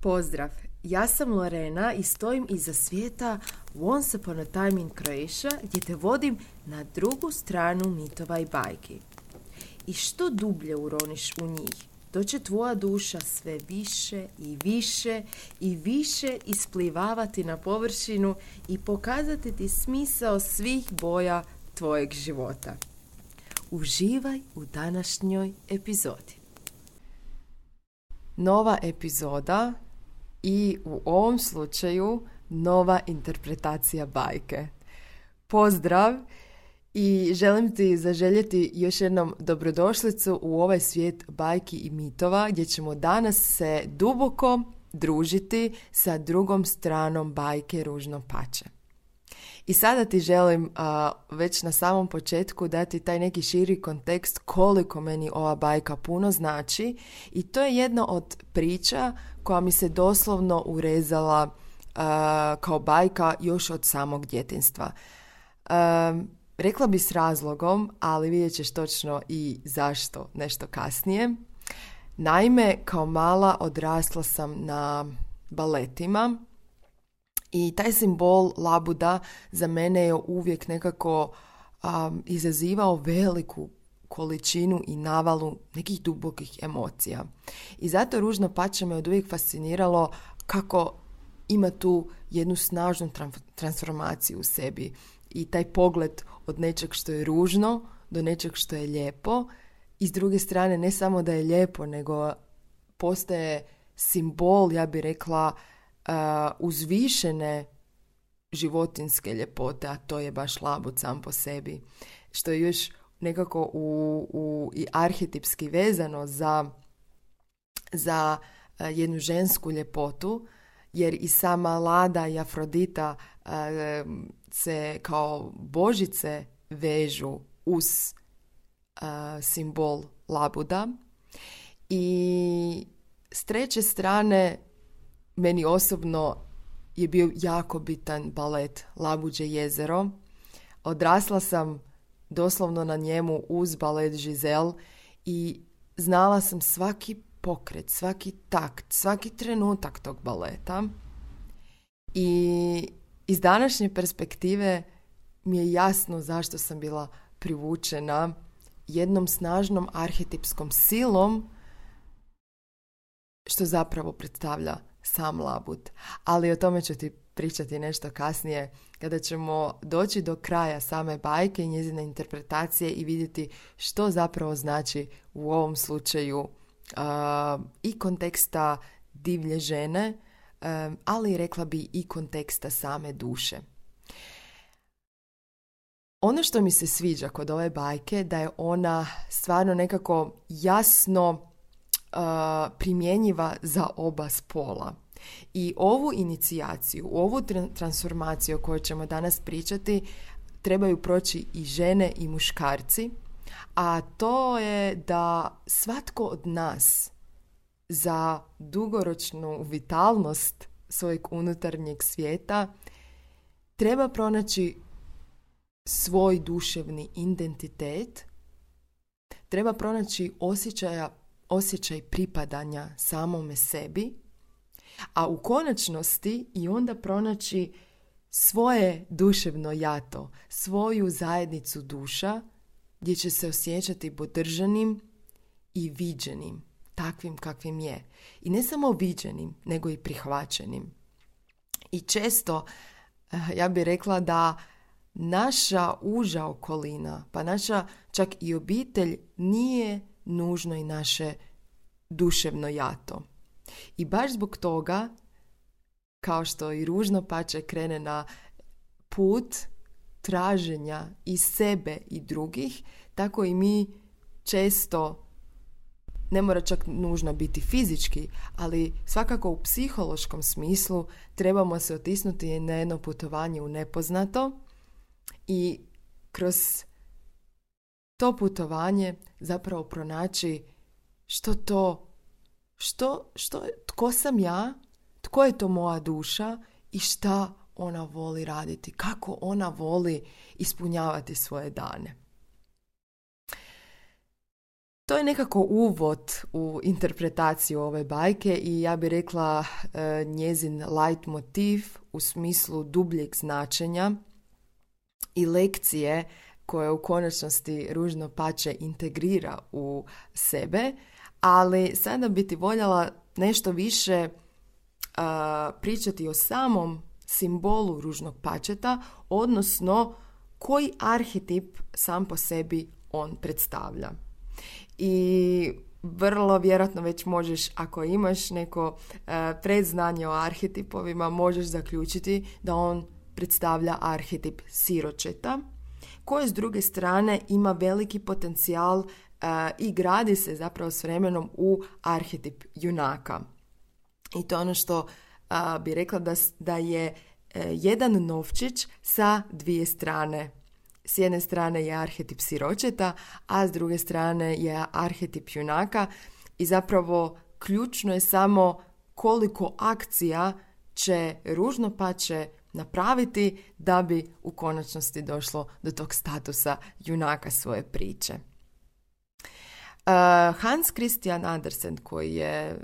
Pozdrav, ja sam Lorena i stojim iza svijeta Once Upon a Time in Croatia gdje te vodim na drugu stranu mitova i bajki. I što dublje uroniš u njih, to će tvoja duša sve više i više i više isplivavati na površinu i pokazati ti smisao svih boja tvojeg života. Uživaj u današnjoj epizodi. Nova epizoda i u ovom slučaju nova interpretacija bajke. Pozdrav i želim ti zaželjeti još jednom dobrodošlicu u ovaj svijet bajki i mitova gdje ćemo danas se duboko družiti sa drugom stranom bajke Ružno pače. I sada ti želim već na samom početku dati taj neki širi kontekst koliko meni ova bajka puno znači i to je jedna od priča koja mi se doslovno urezala kao bajka još od samog djetinjstva. Rekla bi s razlogom, ali vidjet ćeš točno i zašto nešto kasnije. Naime, kao mala odrasla sam na baletima i taj simbol labuda za mene je uvijek nekako izazivao veliku količinu i navalu nekih dubokih emocija. I zato Ružno pače me od uvijek fasciniralo kako ima tu jednu snažnu transformaciju u sebi i taj pogled od nečeg što je ružno do nečeg što je lijepo i s druge strane ne samo da je lijepo, nego postaje simbol, ja bih rekla, uzvišene životinjske ljepote, a to je baš labud sam po sebi, što je još nekako i arhetipski vezano za jednu žensku ljepotu, jer i sama Lada i Afrodita se kao božice vežu uz simbol labuda. I s treće strane meni osobno je bio jako bitan balet Labuđe jezero. Odrasla sam doslovno na njemu uz balet Giselle i znala sam svaki pokret, svaki takt, svaki trenutak tog baleta. I iz današnje perspektive mi je jasno zašto sam bila privučena jednom snažnom arhetipskom silom što zapravo predstavlja sam labud. Ali o tome ću ti pričati nešto kasnije kada ćemo doći do kraja same bajke i njezine interpretacije i vidjeti što zapravo znači u ovom slučaju i konteksta divlje žene, ali rekla bi i konteksta same duše. Ono što mi se sviđa kod ove bajke da je ona stvarno nekako jasno primjenjiva za oba spola. I ovu inicijaciju, ovu transformaciju o kojoj ćemo danas pričati trebaju proći i žene i muškarci, a to je da svatko od nas za dugoročnu vitalnost svojeg unutarnjeg svijeta treba pronaći svoj duševni identitet, treba pronaći osjećaj pripadanja samome sebi, a u konačnosti i onda pronaći svoje duševno jato, svoju zajednicu duša gdje će se osjećati podržanim i viđenim, takvim kakvim je. I ne samo viđenim, nego i prihvaćenim. I često, ja bih rekla da naša uža okolina, pa naša čak i obitelj nije nužno i naše duševno jato. I baš zbog toga, kao što i Ružno pače krene na put traženja i sebe i drugih, tako i mi često, ne mora čak nužno biti fizički, ali svakako u psihološkom smislu trebamo se otisnuti na jedno putovanje u nepoznato i kroz to putovanje zapravo pronaći tko sam ja, tko je to moja duša i šta ona voli raditi, kako ona voli ispunjavati svoje dane. To je nekako uvod u interpretaciju ove bajke i ja bih rekla njezin light motiv u smislu dubljeg značenja i lekcije koje u konačnosti Ružno pače integrira u sebe, ali sada bi ti voljela nešto više pričati o samom simbolu ružnog pačeta, odnosno koji arhetip sam po sebi on predstavlja. I vrlo vjerojatno već možeš, ako imaš neko predznanje o arhetipovima, možeš zaključiti da on predstavlja arhetip siročeta, koji s druge strane ima veliki potencijal i gradi se zapravo s vremenom u arhetip junaka. I to je ono što bi rekla da je jedan novčić sa dvije strane. S jedne strane je arhetip siročeta, a s druge strane je arhetip junaka i zapravo ključno je samo koliko akcija će ružno pače napraviti da bi u konačnosti došlo do tog statusa junaka svoje priče. Hans Christian Andersen, koji je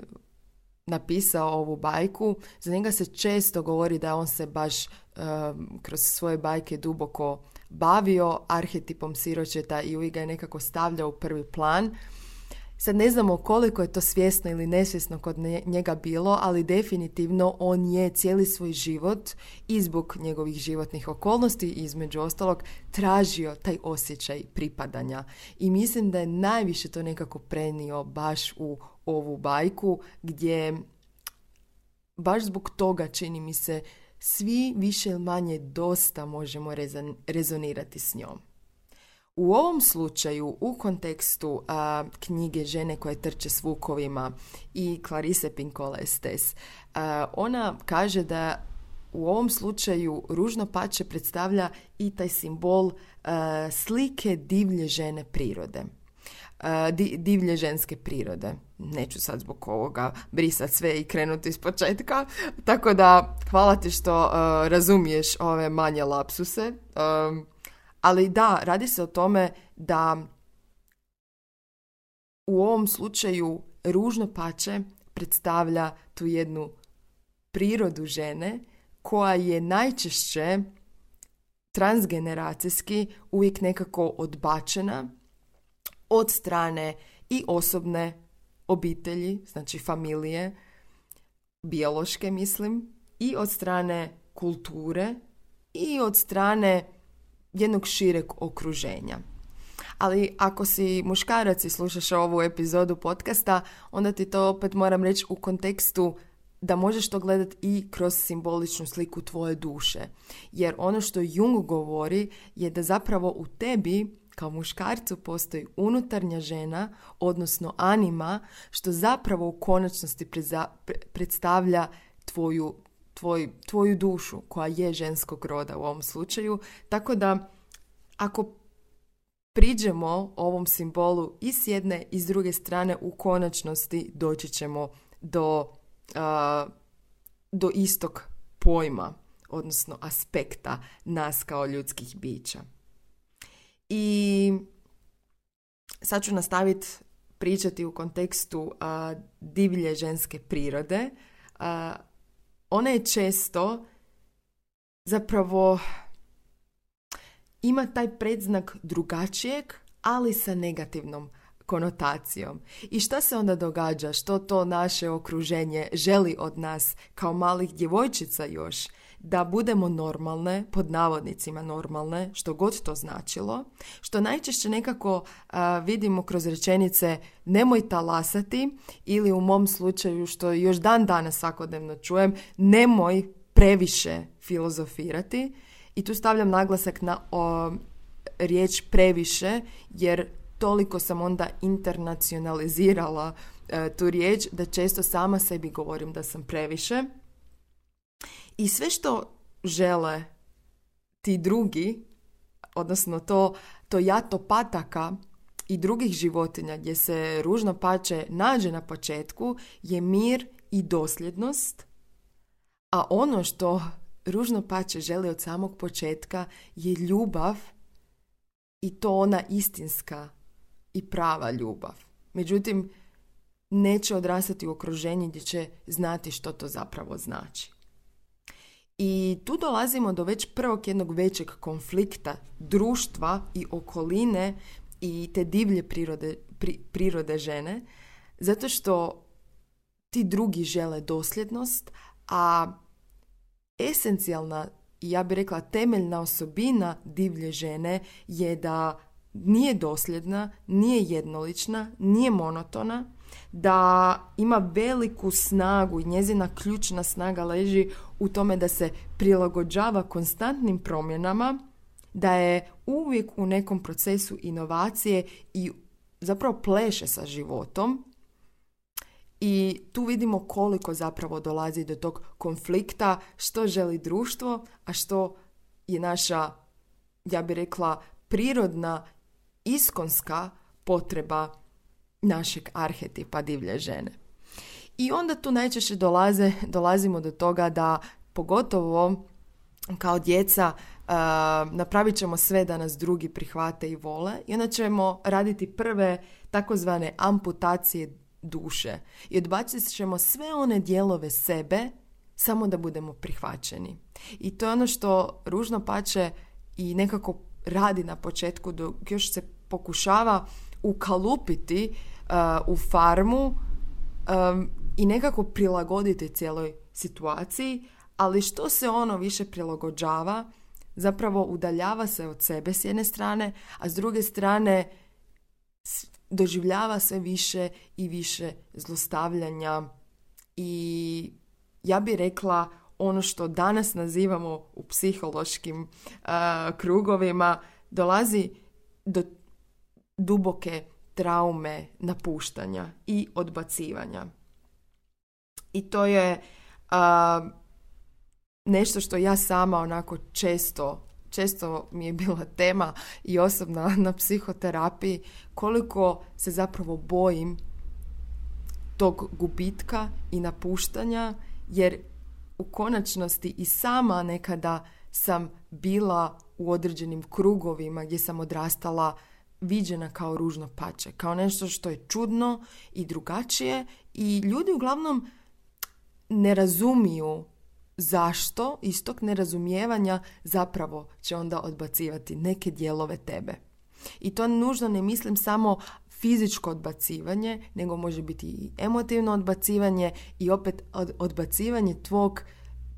napisao ovu bajku, za njega se često govori da on se baš kroz svoje bajke duboko bavio arhetipom siročeta i uvijek ga je nekako stavljao u prvi plan. Sad ne znamo koliko je to svjesno ili nesvjesno kod njega bilo, ali definitivno on je cijeli svoj život i zbog njegovih životnih okolnosti između ostalog tražio taj osjećaj pripadanja. I mislim da je najviše to nekako prenio baš u ovu bajku, gdje baš zbog toga čini mi se svi više ili manje dosta možemo rezonirati s njom. U ovom slučaju, u kontekstu knjige Žene koje trče s vukovima i Clarice Pinkola Estés, ona kaže da u ovom slučaju ružno pače predstavlja i taj simbol slike divlje žene prirode. Divlje ženske prirode. Neću sad zbog ovoga brisati sve i krenuti iz početka, tako da hvala ti što razumiješ ove manje lapsuse. Ali da, radi se o tome da u ovom slučaju ružno pače predstavlja tu jednu prirodu žene koja je najčešće transgeneracijski uvijek nekako odbačena od strane i osobne obitelji, znači familije, biološke mislim, i od strane kulture i od strane jednog šireg okruženja. Ali ako si muškarac i slušaš ovu epizodu podcasta, onda ti to opet moram reći u kontekstu da možeš to gledati i kroz simboličnu sliku tvoje duše. Jer ono što Jung govori je da zapravo u tebi kao muškarcu postoji unutarnja žena, odnosno anima, što zapravo u konačnosti predstavlja tvoju dušu, koja je ženskog roda u ovom slučaju. Tako da, ako priđemo ovom simbolu i s jedne i s druge strane, u konačnosti doći ćemo do istog pojma, odnosno aspekta nas kao ljudskih bića. I sad ću nastaviti pričati u kontekstu divlje ženske prirode. Ona je često zapravo ima taj predznak drugačijeg, ali sa negativnom konotacijom. I šta se onda događa? Što to naše okruženje želi od nas kao malih djevojčica još? Da budemo normalne, pod navodnicima normalne, što god to značilo, što najčešće nekako vidimo kroz rečenice nemoj talasati, ili u mom slučaju, što još dan danas svakodnevno čujem, nemoj previše filozofirati. I tu stavljam naglasak na riječ previše, jer toliko sam onda internacionalizirala tu riječ da često sama sebi govorim da sam previše. I sve što žele ti drugi, odnosno to jato pataka i drugih životinja gdje se ružno pače nađe na početku, je mir i dosljednost, a ono što ružno pače želi od samog početka je ljubav, i to ona istinska i prava ljubav. Međutim, neće odrastati u okruženju gdje će znati što to zapravo znači. I tu dolazimo do već prvog jednog većeg konflikta društva i okoline i te divlje prirode žene, zato što ti drugi žele dosljednost, a esencijalna i ja bih rekla temeljna osobina divlje žene je da nije dosljedna, nije jednolična, nije monotona, da ima veliku snagu i njezina ključna snaga leži u tome da se prilagođava konstantnim promjenama, da je uvijek u nekom procesu inovacije i zapravo pleše sa životom. I tu vidimo koliko zapravo dolazi do tog konflikta, što želi društvo, a što je naša, ja bih rekla, prirodna, iskonska potreba našeg arhetipa divlje žene. I onda tu najčešće dolazimo do toga da pogotovo kao djeca napravit ćemo sve da nas drugi prihvate i vole i onda ćemo raditi prve takozvane amputacije duše i odbacit ćemo sve one dijelove sebe samo da budemo prihvaćeni. I to je ono što ružno pače i nekako radi na početku dok još se pokušava ukalupiti u farmu i nekako prilagoditi cijeloj situaciji, ali što se ono više prilagođava, zapravo udaljava se od sebe s jedne strane, a s druge strane doživljava sve više i više zlostavljanja i ja bih rekla ono što danas nazivamo u psihološkim krugovima, dolazi do duboke traume napuštanja i odbacivanja. I to je nešto što ja sama onako često mi je bila tema i osobna na psihoterapiji, koliko se zapravo bojim tog gubitka i napuštanja, jer u konačnosti i sama nekada sam bila u određenim krugovima gdje sam odrastala viđena kao ružno pače, kao nešto što je čudno i drugačije i ljudi uglavnom ne razumiju zašto iz tog nerazumijevanja zapravo će onda odbacivati neke dijelove tebe. I to nužno ne mislim samo fizičko odbacivanje, nego može biti i emotivno odbacivanje i opet odbacivanje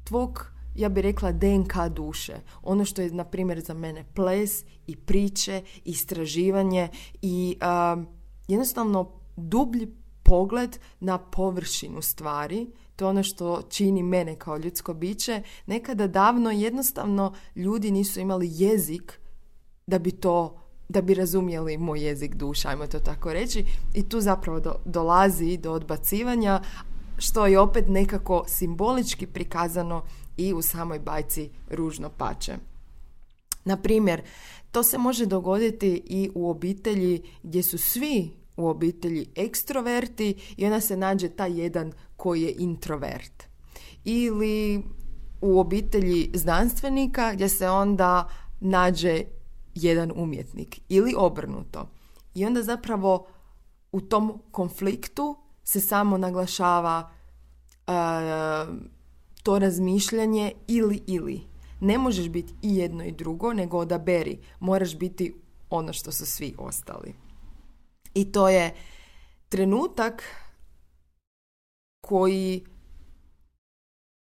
tvog, ja bih rekla, DNK duše. Ono što je, na primjer, za mene ples i priče, istraživanje i jednostavno dublji pogled na površinu stvari. To je ono što čini mene kao ljudsko biće. Nekada davno jednostavno ljudi nisu imali jezik da bi razumjeli moj jezik duše, ajmo to tako reći. I tu zapravo dolazi do odbacivanja, što je opet nekako simbolički prikazano i u samoj bajci Ružno pače. Na primjer, to se može dogoditi i u obitelji gdje su svi u obitelji ekstroverti i onda se nađe taj jedan koji je introvert. Ili u obitelji znanstvenika gdje se onda nađe jedan umjetnik. Ili obrnuto. I onda zapravo u tom konfliktu se samo naglašava to razmišljanje ili. Ne možeš biti i jedno i drugo, nego odaberi. Moraš biti ono što su svi ostali. I to je trenutak koji,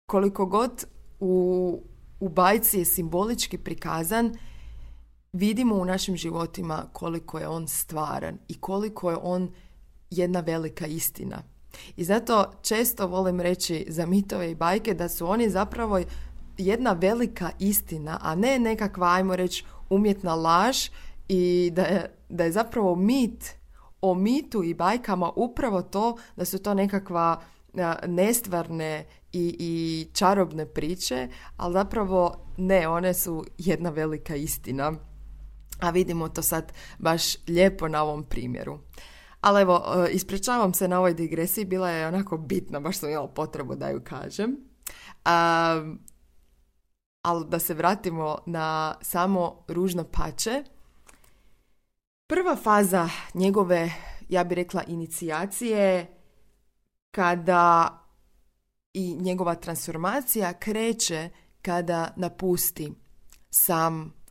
koliko god u bajci je simbolički prikazan, vidimo u našim životima koliko je on stvaran i koliko je on jedna velika istina. I zato često volim reći za mitove i bajke da su oni zapravo jedna velika istina, a ne nekakva, ajmo reći, umjetna laž i da je zapravo mit o mitu i bajkama upravo to da su to nekakva nestvarne i čarobne priče, ali zapravo ne, one su jedna velika istina. A vidimo to sad baš lijepo na ovom primjeru. Ali evo, ispričavam se na ovoj digresiji, bila je onako bitna, baš sam imala potrebu da ju kažem. Ali da se vratimo na samo Ružno pače. Prva faza njegove, ja bih rekla, inicijacije kada i njegova transformacija kreće kada napusti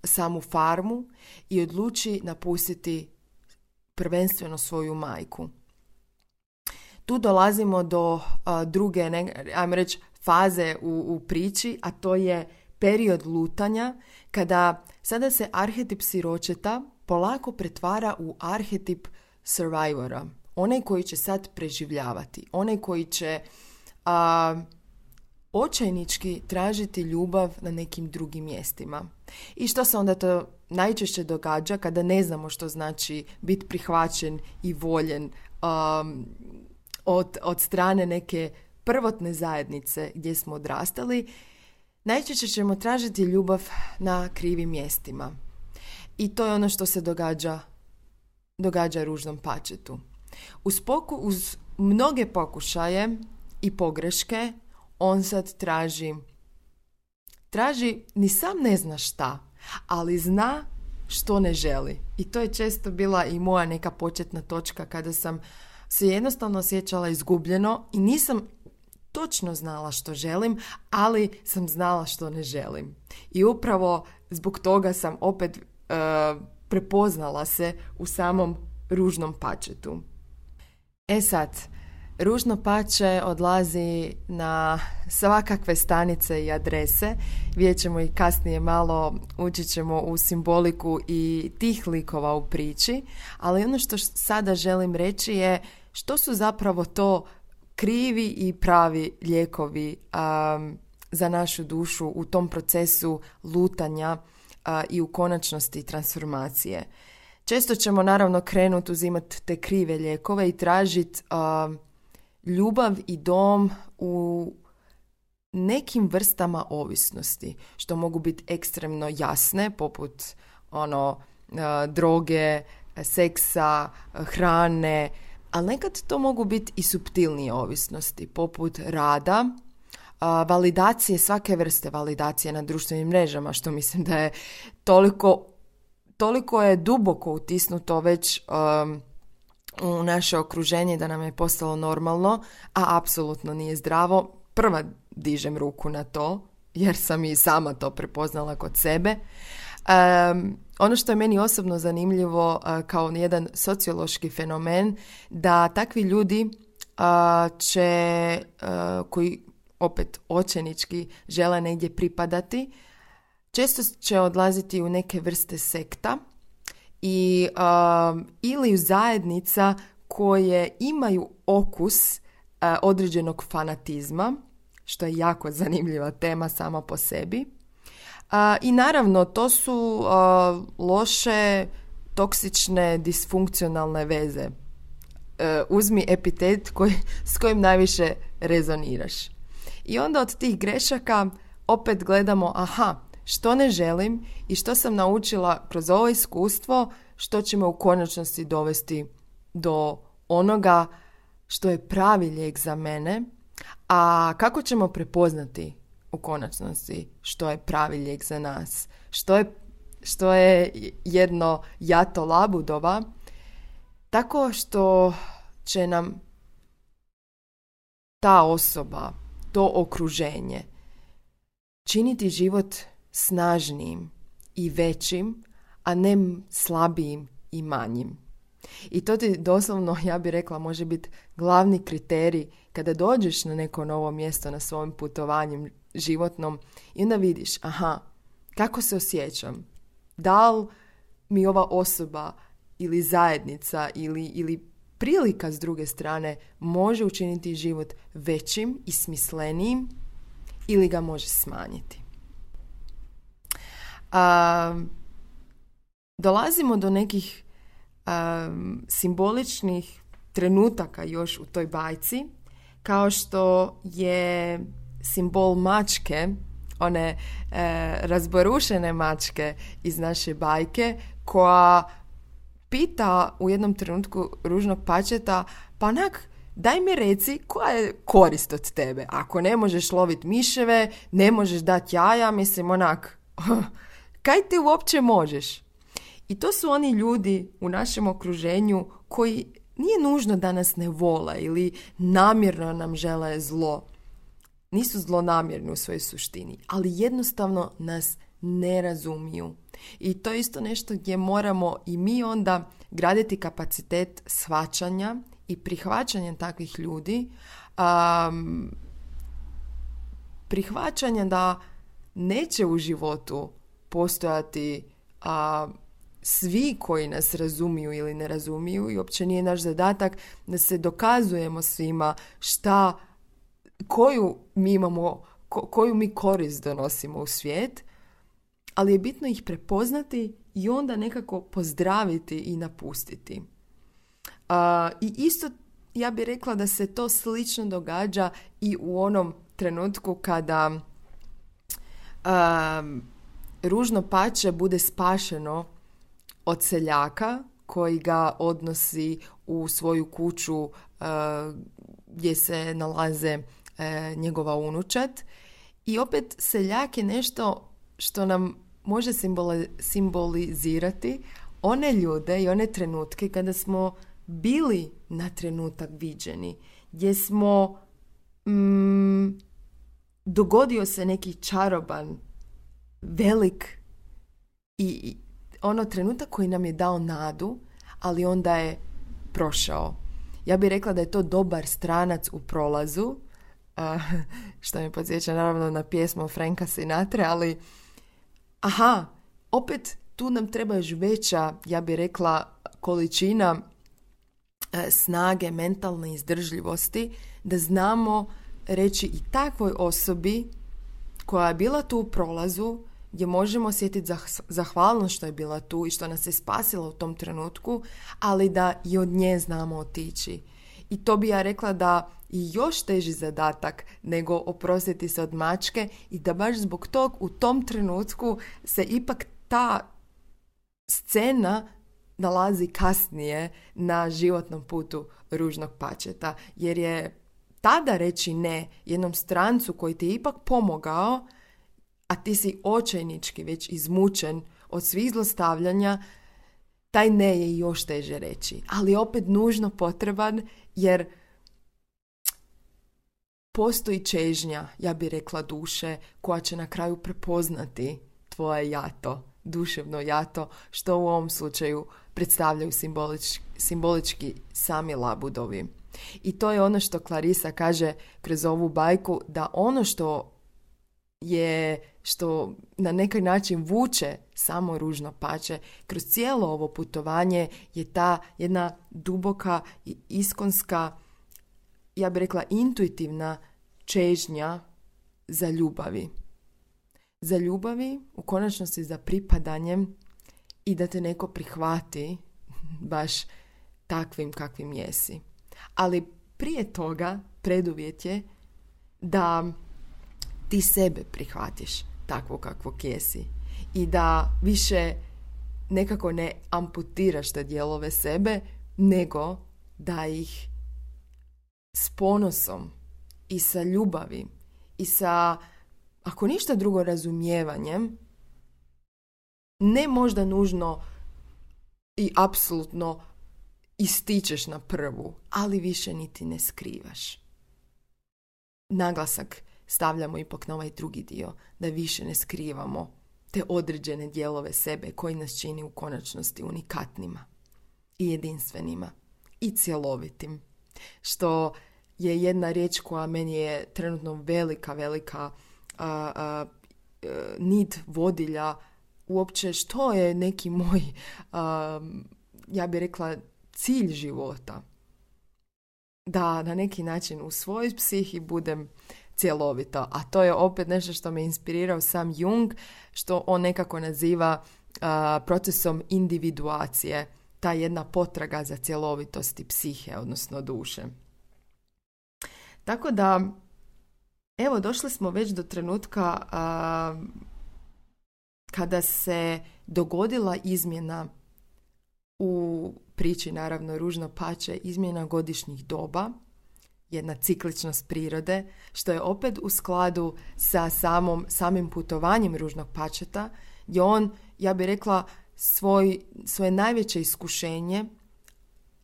samu farmu i odluči napustiti prvenstveno svoju majku. Tu dolazimo do druge, ajmo reći, faze u priči, a to je period lutanja, kada sada se arhetip siročeta polako pretvara u arhetip survivora. Onaj koji će sad preživljavati, onaj koji će očajnički tražiti ljubav na nekim drugim mjestima. I što se onda to najčešće događa kada ne znamo što znači biti prihvaćen i voljen od strane neke prvotne zajednice gdje smo odrastali, najčešće ćemo tražiti ljubav na krivim mjestima. I to je ono što se događa ružnom pačetu. Uz mnoge pokušaje i pogreške on sad traži ni sam ne zna šta, ali zna što ne želi. I to je često bila i moja neka početna točka kada sam se jednostavno osjećala izgubljeno i nisam točno znala što želim, ali sam znala što ne želim. I upravo zbog toga sam opet prepoznala se u samom ružnom pačetu. Sad, ružno pače odlazi na svakakve stanice i adrese. Vidjet ćemo i kasnije malo, učit ćemo u simboliku i tih likova u priči, ali ono što sada želim reći je što su zapravo to krivi i pravi lijekovi za našu dušu u tom procesu lutanja i u konačnosti transformacije. Često ćemo naravno krenuti uzimati te krive lijekove i tražiti ljubav i dom u nekim vrstama ovisnosti, što mogu biti ekstremno jasne, poput droge, seksa, hrane, ali nekad to mogu biti i suptilnije ovisnosti, poput rada, validacije, svake vrste validacije na društvenim mrežama, što mislim da je toliko je duboko utisnuto već u naše okruženje da nam je postalo normalno, a apsolutno nije zdravo. Prva dižem ruku na to, jer sam i sama to prepoznala kod sebe. Ono što je meni osobno zanimljivo kao jedan sociološki fenomen, da takvi ljudi koji opet očajnički žele negdje pripadati, često će odlaziti u neke vrste sekta ili u zajednica koje imaju okus određenog fanatizma, što je jako zanimljiva tema sama po sebi. I naravno, to su loše, toksične, disfunkcionalne veze. Uzmi epitet s kojim najviše rezoniraš. I onda od tih grešaka opet gledamo, što ne želim i što sam naučila kroz ovo iskustvo, što će me u konačnosti dovesti do onoga što je pravi lijek za mene, a kako ćemo prepoznati u konačnosti što je pravi lijek za nas, što je jedno jato labudova, tako što će nam ta osoba, to okruženje činiti život snažnijim i većim, a ne slabijim i manjim. I to ti doslovno, ja bih rekla, može biti glavni kriterij kada dođeš na neko novo mjesto na svojem putovanju životnom i onda vidiš, kako se osjećam? Da li mi ova osoba ili zajednica ili prilika s druge strane može učiniti život većim i smislenijim ili ga može smanjiti? Dolazimo do nekih simboličnih trenutaka još u toj bajci, kao što je simbol mačke, one razborušene mačke iz naše bajke, koja pita u jednom trenutku ružnog pačeta, daj mi reci koja je korist od tebe. Ako ne možeš loviti miševe, ne možeš dati jaja, kaj ti uopće možeš? I to su oni ljudi u našem okruženju koji nije nužno da nas ne vole ili namjerno nam žele zlo. Nisu zlonamjerni u svojoj suštini, ali jednostavno nas ne razumiju. I to je isto nešto gdje moramo i mi onda graditi kapacitet shvaćanja i prihvaćanja takvih ljudi, prihvaćanja da neće u životu postojati svi koji nas razumiju ili ne razumiju i uopće nije naš zadatak da se dokazujemo svima koju mi imamo, koju mi korist donosimo u svijet, ali je bitno ih prepoznati i onda nekako pozdraviti i napustiti. I isto ja bih rekla da se to slično događa i u onom trenutku kada ružno pače bude spašeno od seljaka koji ga odnosi u svoju kuću gdje se nalaze njegova unučad. I opet seljak je nešto što nam može simbolizirati one ljude i one trenutke kada smo bili na trenutak viđeni, gdje smo dogodio se neki čaroban, velik i ono trenutak koji nam je dao nadu, ali onda je prošao. Ja bih rekla da je to dobar stranac u prolazu, što me podsjeća naravno na pjesmu Franka Sinatra, ali opet tu nam treba još veća, ja bih rekla, količina snage, mentalne izdržljivosti, da znamo reći i takvoj osobi koja je bila tu u prolazu, gdje možemo osjetiti zahvalnost što je bila tu i što nas je spasila u tom trenutku, ali da i od nje znamo otići. I to bi ja rekla da i još teži zadatak nego oprostiti se od mačke i da baš zbog tog u tom trenutku se ipak ta scena nalazi kasnije na životnom putu ružnog pačeta. Jer je tada reći ne jednom strancu koji ti je ipak pomogao, a ti si očajnički već izmučen od svih zlostavljanja, taj ne je još teže reći. Ali opet nužno potreban jer postoji čežnja, ja bih rekla, duše koja će na kraju prepoznati tvoje jato, duševno jato, što u ovom slučaju predstavljaju simbolički sami labudovi. I to je ono što Clarissa kaže kroz ovu bajku, da ono što na neki način vuče samo ružno pače kroz cijelo ovo putovanje je ta jedna duboka i iskonska, ja bih rekla intuitivna čežnja za ljubavi. Za ljubavi, u konačnosti za pripadanjem i da te neko prihvati baš takvim kakvim jesi. Ali prije toga preduvjet je da ti sebe prihvatiš takvo kakvog jesi i da više nekako ne amputiraš te dijelove sebe, nego da ih s ponosom i sa ljubavi i sa, ako ništa drugo, razumijevanjem, ne možda nužno i apsolutno ističeš na prvu, ali više niti ne skrivaš. Naglasak stavljamo ipak na ovaj drugi dio, da više ne skrivamo te određene dijelove sebe koji nas čini u konačnosti unikatnima i jedinstvenima i cjelovitim. Što je jedna riječ koja meni je trenutno velika nit vodilja uopće što je neki moj, ja bih rekla, cilj života. Da na neki način u svojoj psihi budem cjelovito. A to je opet nešto što me inspirirao sam Jung, što on nekako naziva procesom individuacije, ta jedna potraga za cjelovitosti psihe, odnosno duše. Tako da, evo, došli smo već do trenutka kada se dogodila izmjena u priči, naravno, ružno pače, izmjena godišnjih doba, jedna cikličnost prirode, što je opet u skladu sa samim putovanjem ružnog pačeta, gdje on, ja bih rekla, svoje najveće iskušenje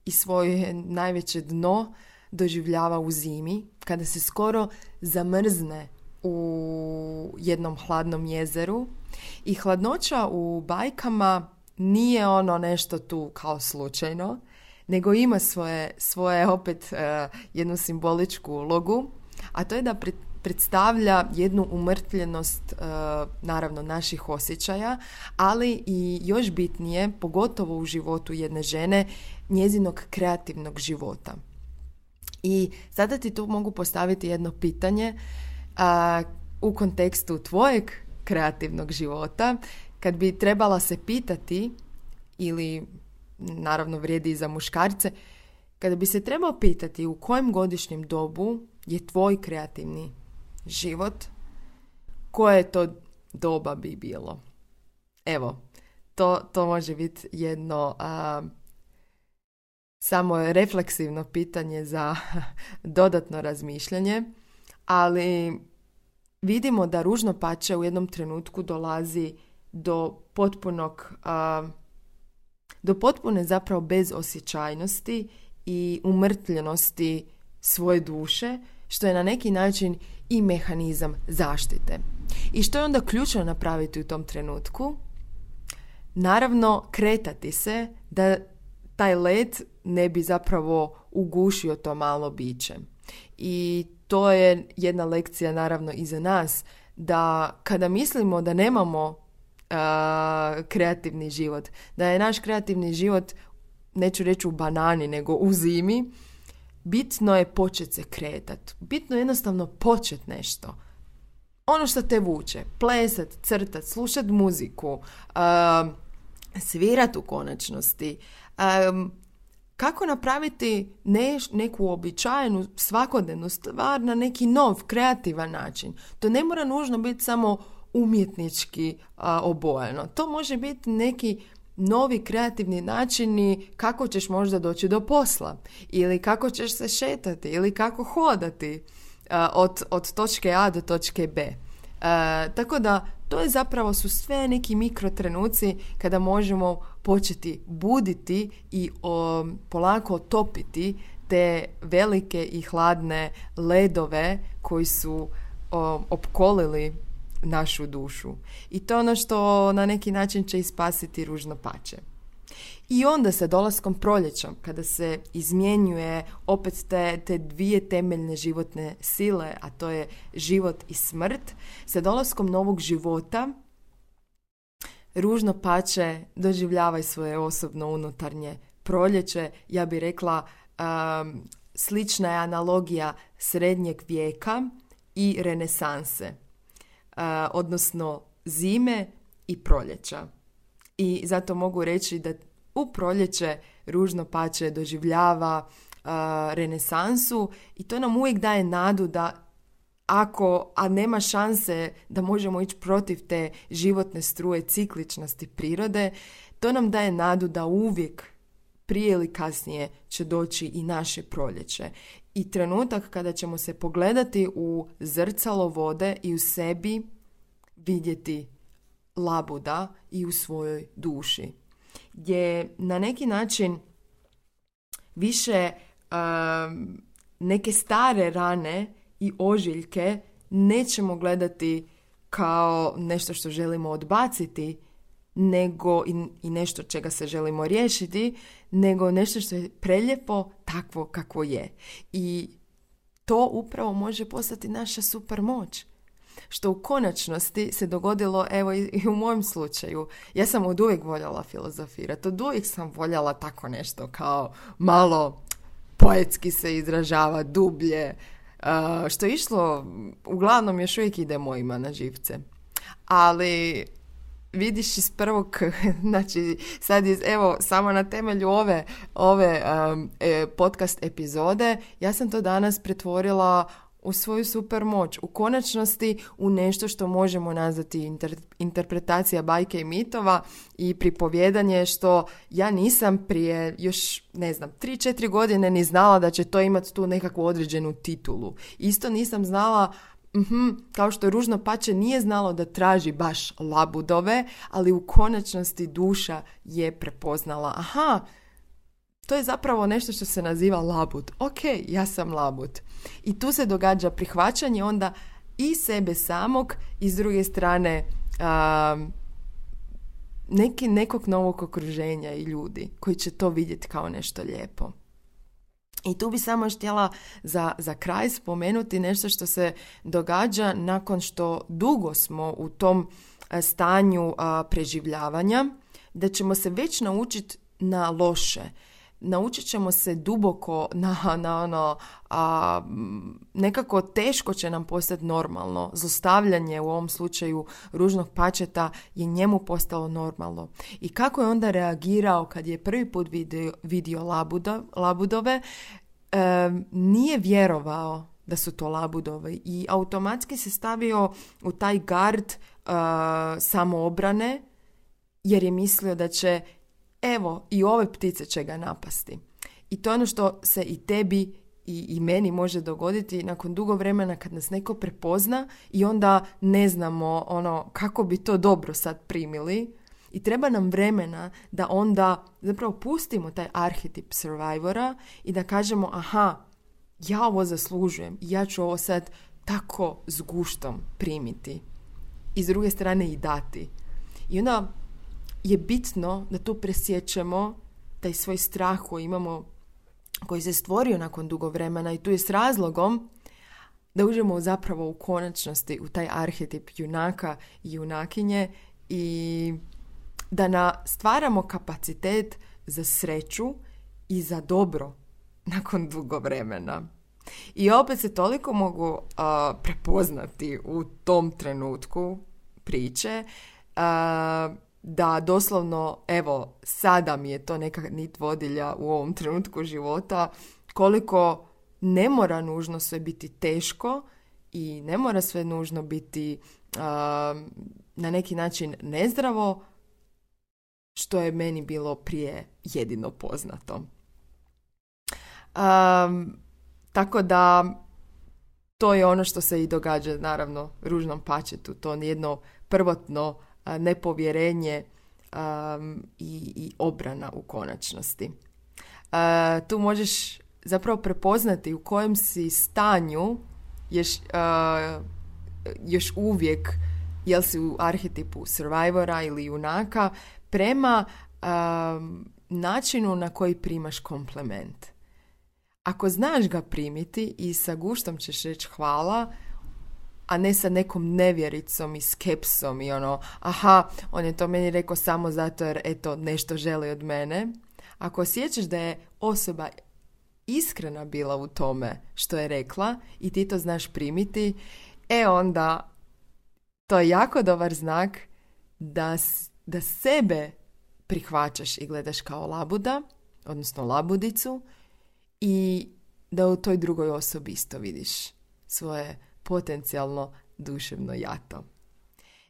i svoje najveće dno doživljava u zimi, kada se skoro zamrzne u jednom hladnom jezeru. I hladnoća u bajkama nije ono nešto tu kao slučajno, nego ima svoje opet jednu simboličku ulogu, a to je da predstavlja jednu umrtljenost naravno naših osjećaja, ali i još bitnije, pogotovo u životu jedne žene, njezinog kreativnog života. I sada ti tu mogu postaviti jedno pitanje u kontekstu tvojeg kreativnog života, kad bi trebala se pitati, ili naravno vrijedi i za muškarce, kada bi se trebao pitati u kojem godišnjem dobu je tvoj kreativni život, koje to doba bi bilo? Evo, to može biti jedno samo refleksivno pitanje za dodatno razmišljanje, ali vidimo da ružno pače u jednom trenutku dolazi do potpune zapravo bezosjećajnosti i umrtljenosti svoje duše, što je na neki način i mehanizam zaštite. I što je onda ključno napraviti u tom trenutku? Naravno, kretati se da taj led ne bi zapravo ugušio to malo biće. I to je jedna lekcija naravno i za nas, da kada mislimo da nemamo kreativni život, da je naš kreativni život, neću reći u banani, nego u zimi, bitno je početi se kretati. Bitno je jednostavno početi nešto. Ono što te vuče, plesat, crtat, slušat muziku, svirat u konačnosti, kako napraviti neku običajnu svakodnevnu stvar na neki nov, kreativan način. To ne mora nužno biti samo umjetnički obojeno. To može biti neki novi kreativni načini kako ćeš možda doći do posla, ili kako ćeš se šetati, ili kako hodati od točke A do točke B. Tako da to je zapravo su sve neki mikrotrenuci kada možemo početi buditi i polako otopiti te velike i hladne ledove koji su opkolili našu dušu. I to je ono što na neki način će ispasiti ružno pače. I onda sa dolaskom proljeća, kada se izmjenjuje opet te dvije temeljne životne sile, a to je život i smrt, sa dolaskom novog života ružno pače doživljava svoje osobno unutarnje proljeće. Ja bih rekla, slična je analogija srednjeg vijeka i renesanse, odnosno zime i proljeća. I zato mogu reći da u proljeće ružno pače doživljava renesansu i to nam uvijek daje nadu da a nema šanse da možemo ići protiv te životne struje cikličnosti prirode, to nam daje nadu da uvijek prije ili kasnije će doći i naše proljeće. I trenutak kada ćemo se pogledati u zrcalo vode i u sebi vidjeti labuda i u svojoj duši, gdje na neki način više neke stare rane i ožiljke nećemo gledati kao nešto što želimo odbaciti, nego i nešto čega se želimo riješiti, nego nešto što je prelijepo takvo kako je. I to upravo može postati naša super moć. Što u konačnosti se dogodilo, evo i u mojem slučaju. Ja sam od uvijek voljela filozofirati, od uvijek sam voljela tako nešto kao malo poetski se izražava, dublje, što je išlo, uglavnom još uvijek ide mojima na živce. Ali vidiš iz prvog, znači sad evo samo na temelju ove podcast epizode, ja sam to danas pretvorila u svoju super moć, u konačnosti u nešto što možemo nazvati interpretacija bajke i mitova i pripovjedanje, što ja nisam prije još 3-4 godine ni znala da će to imati tu nekakvu određenu titulu. Isto nisam znala, kao što je ružno pače nije znalo da traži baš labudove, ali u konačnosti duša je prepoznala, to je zapravo nešto što se naziva labud. Ok, ja sam labud. I tu se događa prihvaćanje onda i sebe samog i s druge strane nekog novog okruženja i ljudi koji će to vidjeti kao nešto lijepo. I tu bi samo još htjela za kraj spomenuti nešto što se događa nakon što dugo smo u tom stanju preživljavanja, da ćemo se već naučiti na loše. Naučit ćemo se duboko nekako teško će nam postati normalno. Zlostavljanje u ovom slučaju ružnog pačeta je njemu postalo normalno. I kako je onda reagirao kad je prvi put vidio labudove, nije vjerovao da su to labudovi i automatski se stavio u taj gard samoobrane jer je mislio da će evo, i ove ptice će ga napasti. I to je ono što se i tebi i meni može dogoditi nakon dugo vremena kad nas neko prepozna i onda ne znamo kako bi to dobro sad primili. I treba nam vremena da onda zapravo pustimo taj arhetip survivora i da kažemo aha, ja ovo zaslužujem i ja ću ovo sad tako s guštom primiti. I s druge strane i dati. I onda je bitno da tu presjećemo taj svoj strah koji imamo, koji se stvorio nakon dugo vremena i tu je s razlogom da uđemo zapravo u konačnosti u taj arhetip junaka i junakinje i da stvaramo kapacitet za sreću i za dobro nakon dugo vremena. I opet se toliko mogu prepoznati u tom trenutku priče da doslovno, evo, sada mi je to neka nit vodilja u ovom trenutku života, koliko ne mora nužno sve biti teško i ne mora sve nužno biti na neki način nezdravo, što je meni bilo prije jedino poznato. Tako da to je ono što se i događa naravno ružnom pačetu, to jedno prvotno nepovjerenje i obrana u konačnosti. Tu možeš zapravo prepoznati u kojem si stanju još uvijek, jel si u arhetipu survivora ili junaka, prema načinu na koji primaš komplement. Ako znaš ga primiti i sa guštom ćeš reći hvala, a ne sa nekom nevjericom i skepsom i aha, on je to meni rekao samo zato jer eto nešto želi od mene. Ako osjećaš da je osoba iskrena bila u tome što je rekla i ti to znaš primiti, onda to je jako dobar znak da sebe prihvaćaš i gledaš kao labuda, odnosno labudicu, i da u toj drugoj osobi isto vidiš svoje potencijalno duševno jato.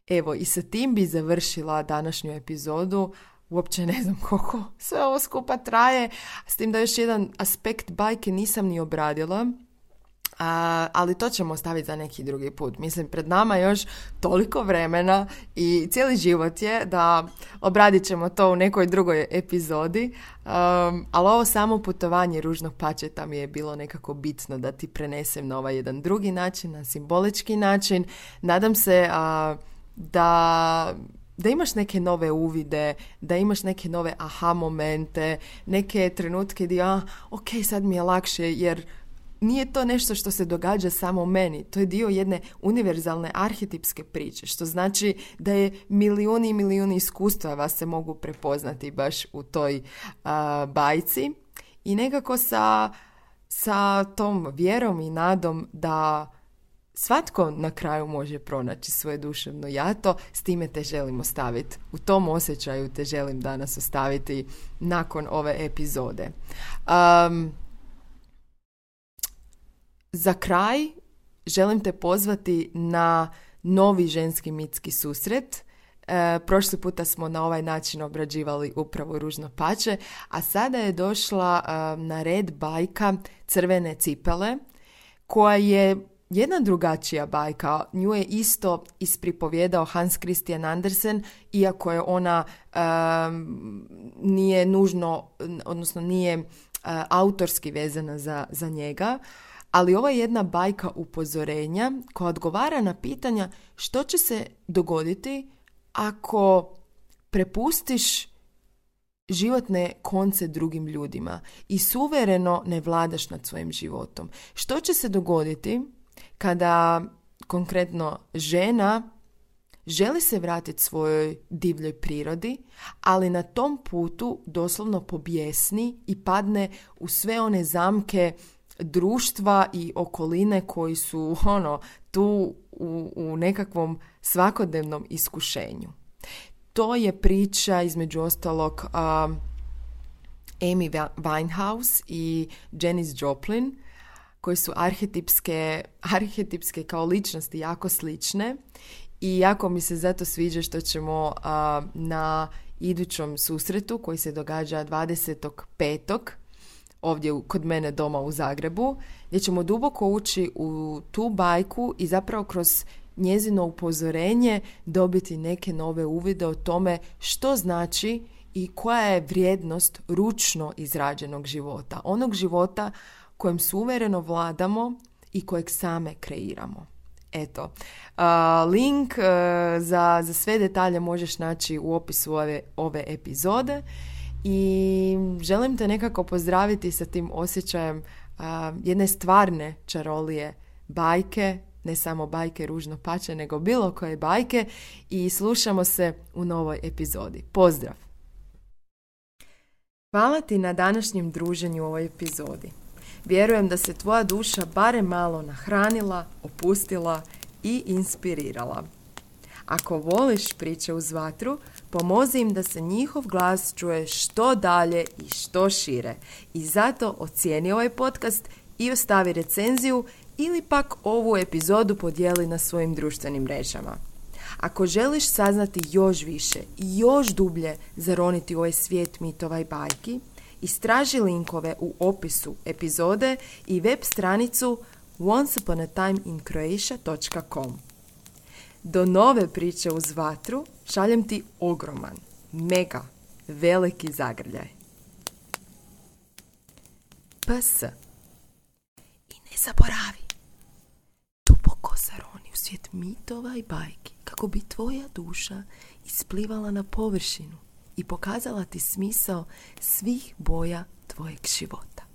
Evo, i sa tim bi završila današnju epizodu. Uopće ne znam koliko sve ovo skupa traje, s tim da još jedan aspekt bajke nisam ni obradila, ali to ćemo ostaviti za neki drugi put. Mislim, pred nama još toliko vremena i cijeli život je da obradit ćemo to u nekoj drugoj epizodi, ali ovo samo putovanje ružnog pačeta mi je bilo nekako bitno da ti prenesem na ovaj jedan drugi način, na simbolički način. Nadam se da imaš neke nove uvide, da imaš neke nove aha momente, neke trenutke gdje ok, sad mi je lakše jer nije to nešto što se događa samo meni. To je dio jedne univerzalne arhetipske priče, što znači da je milijuni i milijuni iskustava se mogu prepoznati baš u toj bajci. I nekako sa tom vjerom i nadom da svatko na kraju može pronaći svoje duševno jato, s time te želim ostaviti. U tom osjećaju te želim danas ostaviti nakon ove epizode. Za kraj želim te pozvati na novi ženski mitski susret. Prošli puta smo na ovaj način obrađivali upravo ružno pače, a sada je došla na red bajka Crvene cipele, koja je jedna drugačija bajka. Nju je isto ispripovjedao Hans Christian Andersen, iako je ona nije nužno, odnosno nije autorski vezana za njega. Ali ovo je jedna bajka upozorenja koja odgovara na pitanja što će se dogoditi ako prepustiš životne konce drugim ljudima i suvereno ne vladaš nad svojim životom. Što će se dogoditi kada konkretno žena želi se vratiti svojoj divljoj prirodi, ali na tom putu doslovno pobjesni i padne u sve one zamke društva i okoline koji su tu u nekakvom svakodnevnom iskušenju. To je priča između ostalog Amy Winehouse i Janis Joplin, koji su arhetipske kao ličnosti jako slične i jako mi se zato sviđa što ćemo na idućem susretu koji se događa 25. ovdje kod mene doma u Zagrebu, gdje ćemo duboko ući u tu bajku i zapravo kroz njezino upozorenje dobiti neke nove uvide o tome što znači i koja je vrijednost ručno izrađenog života. Onog života kojem suvereno vladamo i kojeg same kreiramo. Eto, link za sve detalje možeš naći u opisu ove epizode i želim te nekako pozdraviti sa tim osjećajem jedne stvarne čarolije bajke, ne samo bajke Ružno pače, nego bilo koje bajke i slušamo se u novoj epizodi. Pozdrav! Hvala ti na današnjem druženju u ovoj epizodi. Vjerujem da se tvoja duša barem malo nahranila, opustila i inspirirala. Ako voliš priče uz vatru, pomozi im da se njihov glas čuje što dalje i što šire. I zato ocijeni ovaj podcast i ostavi recenziju ili pak ovu epizodu podijeli na svojim društvenim mrežama. Ako želiš saznati još više i još dublje zaroniti u ovaj svijet mitova i bajki, istraži linkove u opisu epizode i web stranicu onceuponatimeInCroatia.com. Do nove priče uz vatru šaljem ti ogroman, mega, veliki zagrljaj. PS. I ne zaboravi, duboko zaroni u svijet mitova i bajki kako bi tvoja duša isplivala na površinu i pokazala ti smisao svih boja tvojeg života.